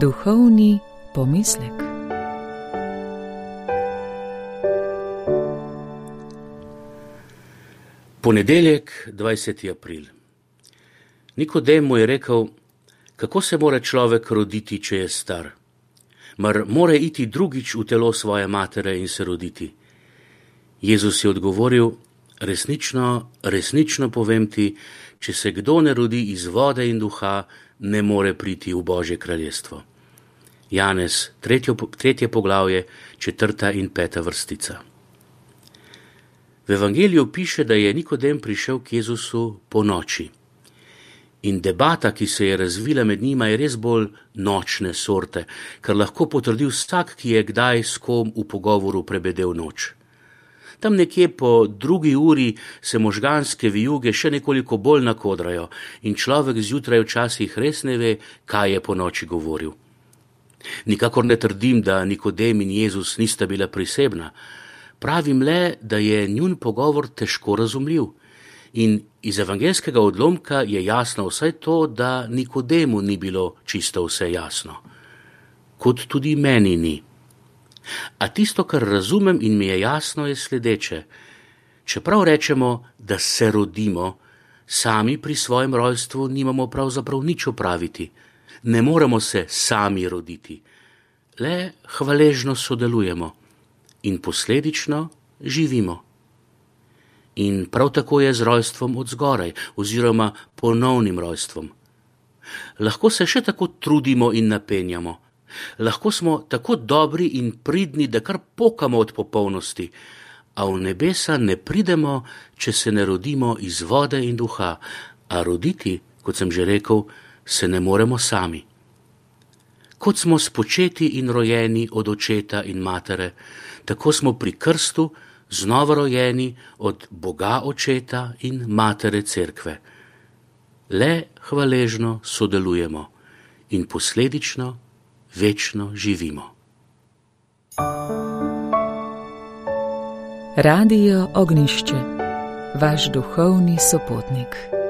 Duhovni pomislek. Ponedeljek, 20. april. Nikodem mu je rekel, kako se mora človek roditi, če je star? Mar mora iti drugič v telo svoje matere in se roditi? Jezus je odgovoril, resnično povem ti, če se kdo ne rodi iz vode in duha, ne more priti v Božje kraljestvo. Janez, 3. poglavje, 4. in 5. vrstica. V evangeliju piše, da je Nikodem prišel k Jezusu po noči. In debata, ki se je razvila med njima, je res bolj nočne sorte, kar lahko potrdi vsak, ki je kdaj s kom v pogovoru prebedel noč. Tam nekje po 2. uri se možganske vijuge še nekoliko bolj nakodrajo in človek zjutraj včasih res ne ve, kaj je po noči govoril. Nikakor ne trdim, da Nikodem in Jezus nista bila prisebna. Pravim le, da je njun pogovor težko razumljiv. In iz evangelskega odlomka je jasno vsaj to, da Nikodemu ni bilo čisto vse jasno. Kot tudi meni ni. A tisto, kar razumem in mi je jasno, je sledeče. Čeprav rečemo, da se rodimo, sami pri svojem rojstvu nimamo pravzaprav nič opraviti. Ne moremo se sami roditi. Le hvaležno sodelujemo in posledično živimo. In prav tako je z rojstvom od zgoraj, oziroma ponovnim rojstvom. Lahko se še tako trudimo in napenjamo. Lahko smo tako dobri in pridni, da kar pokamo od popolnosti, a v nebesa ne pridemo, če se ne rodimo iz vode in duha, a roditi, kot sem že rekel, se ne moremo sami. Kot smo spočeti in rojeni od očeta in matere, tako smo pri krstu znova rojeni od Boga očeta in matere cerkve. Le hvaležno sodelujemo in posledično večno živimo. Radio Ognjišče, vaš duhovni sopotnik.